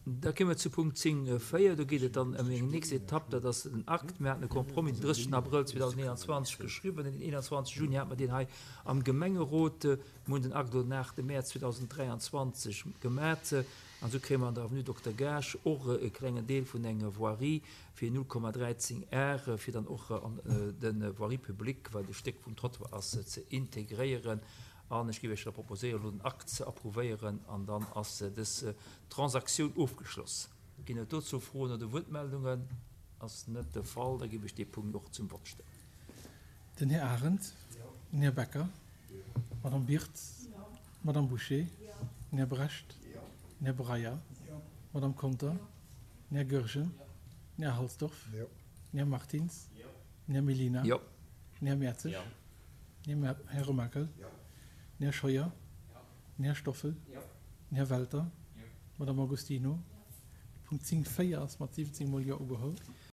Da kéime mer zu Punkt 10, 4. Do geet et dann ëm eng nächst Etapp, dat ass den Akt. Mir haten e Compromis den 30 Abrëll 2021 geschriwwen. Den 21 Juni hate mer deen hei am Gemengerot. Mir hunn den Akt elo den 8 Mäerz 2023 gemat. An esou kréie mer an der Avenue Dokter Gaasch och e klengen Deel vun enger Voirie fir 0,13 Ar, fir dann och an de Voirie publique, wat e Stéck vum Trottoir ass, ze integréieren. An ech géif Iech da proposéieren, elo den Akt ze approuvéieren, an dann ass dës Transaktioun ofgeschloss. Ginn et dozou Froen oder Wuertmeldungen? Ass net de Fall. Da géif ech dee Punkt och zum Vott stellen. Den Här Arendt. Den Här Becker. D'Madame Birtz. D'Madame Bouché. Den Här Brecht. Den Här Breyer. D'Madame Conter. Den Här Goergen. Den Här Halsdorf. Den Här Martins. Den Här Mellina. Den Här Mertzig. Den Här Remakel. Den Här Scheuer. Den Här Stoffel. Den Här Welter. D'Madame Agostino. De Punkt 10, 4 ass mat 17 mol Jo ugeholl.